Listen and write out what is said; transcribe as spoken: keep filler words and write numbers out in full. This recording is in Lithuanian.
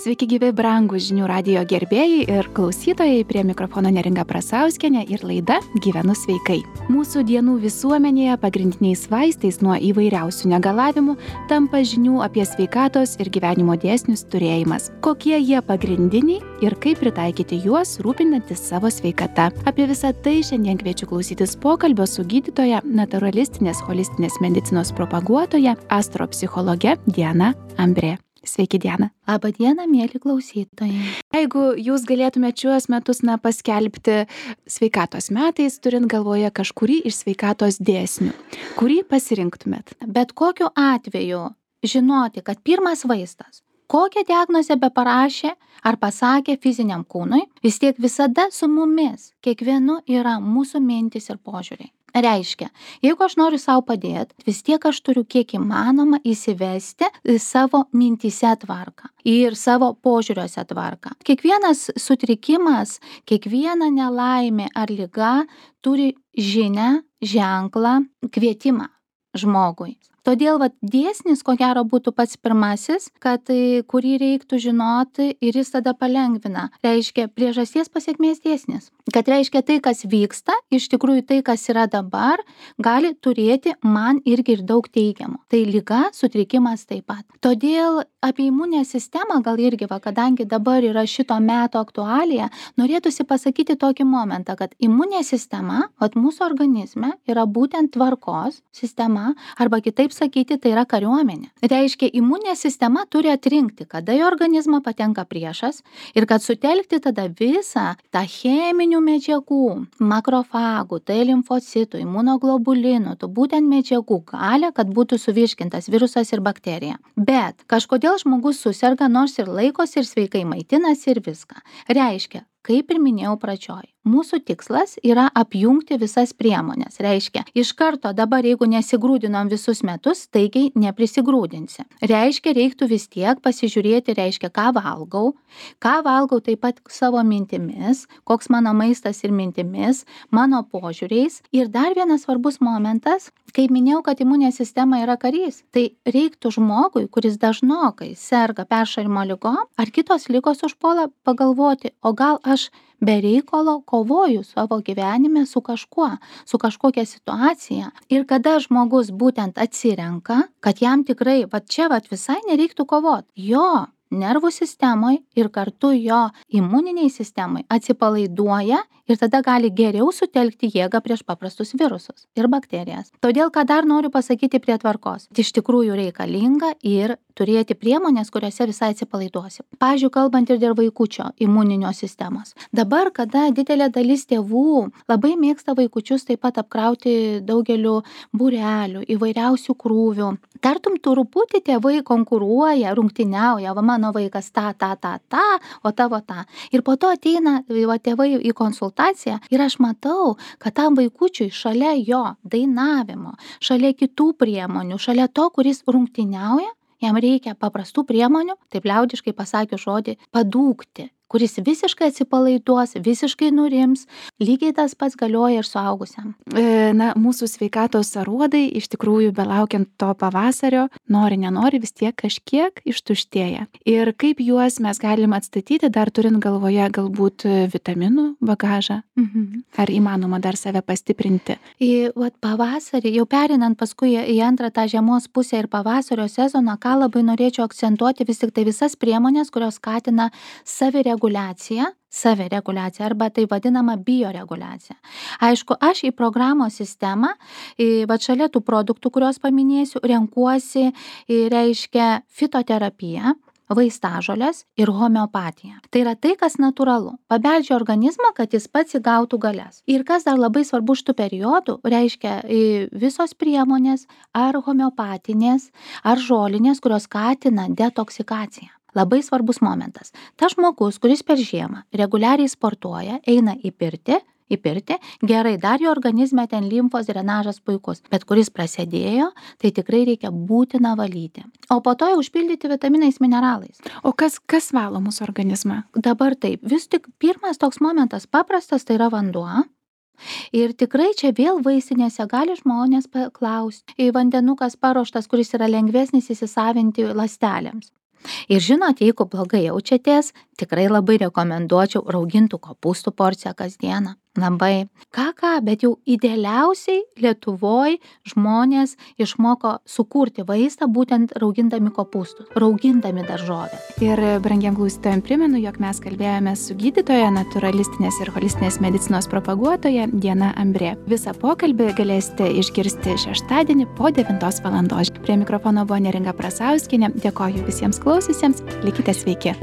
Sveiki gyvi brangūs žinių radijo gerbėjai ir klausytojai, prie mikrofono Neringa Prasauskienė ir laida Gyvenu sveikai. Mūsų dienų visuomenėje pagrindiniais vaistais nuo įvairiausių negalavimų tampa žinių apie sveikatos ir gyvenimo dėsnius turėjimas. Kokie jie pagrindiniai ir kaip pritaikyti juos rūpinantis savo sveikata. Apie visą tai šiandien kviečiu klausytis pokalbio su gydytoja, naturalistinės holistinės medicinos propaguotoja, astropsichologe Diana Ambrė. Sveiki, Diana. Labą dieną, mėly klausytojai. Jeigu jūs galėtumėte šiuos metus na, paskelbti sveikatos metais, turint galvoje kažkurį iš sveikatos dėsnių, kurį pasirinktumėt? Bet kokiu atveju žinoti, kad pirmas vaistas, kokią diagnozę be parašė ar pasakė fiziniam kūnui, vis tiek visada su mumis, kiekvienu yra mūsų mintis ir požiūriai. Reiškia, jeigu aš noriu savo padėti, vis tiek aš turiu kiek įmanoma įsivesti savo mintyse tvarką ir savo požiūriuose tvarką. Kiekvienas sutrikimas, kiekviena nelaimė ar liga turi žinią, ženklą, kvietimą žmogui. Todėl vat, dėsnis, ko gero, būtų pats pirmasis, kad, kurį reiktų žinoti ir jis tada palengvina. Reiškia priežasties pasekmės dėsnis. Kad reiškia tai, kas vyksta, iš tikrųjų tai, kas yra dabar, gali turėti man irgi ir daug teigiamų. Tai liga, sutrikimas taip pat. Todėl apie imuninę sistemą, gal irgi, va, kadangi dabar yra šito meto aktualija, norėtųsi pasakyti tokį momentą, kad imuninė sistema, vat, mūsų organizme yra būtent tvarkos sistema, arba kitaip sakyti, tai yra kariuomenė. Reiškia, imuninė sistema turi atrinkti, kada į organizmą patenka priešas ir kad sutelkti tada visą tą cheminių medžiagų, makrofagų, tai limfocitų, imunoglobulinų, tų būtent medžiagų galia, kad būtų suvirškintas virusas ir bakterija. Bet kažkodėl žmogus suserga, nors ir laikosi ir sveikai maitinasi ir viską. Reiškia, kaip ir minėjau pradžioj, mūsų tikslas yra apjungti visas priemonės. Reiškia, iš karto dabar, jeigu nesigrūdinom visus metus, taigiai neprisigrūdinsi. Reiškia, reiktų vis tiek pasižiūrėti, reiškia, ką valgau, ką valgau taip pat savo mintimis, koks mano maistas ir mintimis, mano požiūriais. Ir dar vienas svarbus momentas, kaip minėjau, kad imuninė sistema yra karys, tai reiktų žmogui, kuris dažnokai serga peršalimo ligom ar kitos ligos užpuola, pagalvoti, o gal aš be reikalo kovoju savo gyvenime su kažkuo, su kažkokia situacija. Ir kada žmogus būtent atsirenka, kad jam tikrai, va čia va visai nereiktų kovoti. Jo nervų sistemai ir kartu jo imuniniai sistemai atsipalaiduoja ir tada gali geriau sutelkti jėgą prieš paprastus virusus ir bakterijas. Todėl, ką dar noriu pasakyti prie tvarkos, iš tikrųjų reikalinga ir turėti priemonės, kuriuose visai atsipalaiduosi. Pavyzdžiui, kalbant ir dėl vaikučio imuninio sistemos. Dabar, kada didelė dalis tėvų labai mėgsta vaikučius taip pat apkrauti daugeliu būrelių, įvairiausių krūvių, tartum truputį tėvai konkuruoja, rungtyniauja, va mano vaikas tą, tą, tą, tą, o tavo tą. Ir po to ateina va, tėvai į konsultaciją ir aš matau, kad tam vaikučiui šalia jo dainavimo, šalia kitų priemonių, šalia to, kuris rungtyniauja, jam reikia paprastų priemonių, taip liaudiškai pasakius žodį, padūkti, kuris visiškai atsipalaiduos, visiškai nurims, lygiai tas pats galioja ir suaugusiam. E, na, mūsų sveikatos aruodai iš tikrųjų, belaukiant to pavasario, nori, nenori, vis tiek kažkiek ištuštėja. Ir kaip juos mes galim atstatyti, dar turint galvoje galbūt vitaminų bagažą? Mhm. Ar įmanoma dar save pastiprinti? Į vat, pavasarį, jau perinant paskui į antrą tą žiemos pusę ir pavasario sezoną, ką labai norėčiau akcentuoti, vis tik tai visas priemonės, kurios skatina savireguliaciją, reguliacija, savireguliacija arba tai vadinama bioreguliacija. Aišku, aš į programos sistemą, į, va šalia tų produktų, kuriuos paminėsiu, renkuosi, į, reiškia fitoterapiją, vaistažolės ir homeopatiją. Tai yra tai, kas natūralu. Pabeldžia organizmą, kad jis pats įgautų galias. Ir kas dar labai svarbu šitų periodų, reiškia visos priemonės ar homeopatinės, ar žolinės, kurios skatina detoksikaciją. Labai svarbus momentas. Tas žmogus, kuris per žiemą reguliariai sportuoja, eina į pirtį, į pirtį, gerai, dar jo organizme ten limfos drenažas puikus, bet kuris prasidėjo, tai tikrai reikia būtina valyti. O po to jau užpildyti vitaminais, mineralais. O kas, kas valo mūsų organizmą? Dabar taip, vis tik pirmas toks momentas paprastas, tai yra vanduo. Ir tikrai čia vėl vaistinėse gali žmonės paklausti. Vandenukas paruoštas, kuris yra lengvesnis įsisavinti ląstelėms. Ir žinot, jeigu blogai jaučiatės, tikrai labai rekomenduočiau raugintų kopūstų porciją kasdieną. Labai. Ką ką, bet jau idealiausiai Lietuvoj žmonės išmoko sukurti vaistą būtent raugindami kopūstus, raugindami daržovę. Ir brangiem klausytojam primenu, jog mes kalbėjome su gydytoja, natūralistinės ir holistinės medicinos propaguotoja Diana Ambrė. Visą pokalbį galėsite išgirsti šeštadienį po devintos valandos. Prie mikrofono buvo Neringa Prasauskienė. Dėkoju visiems klausiusiems. Likite sveiki.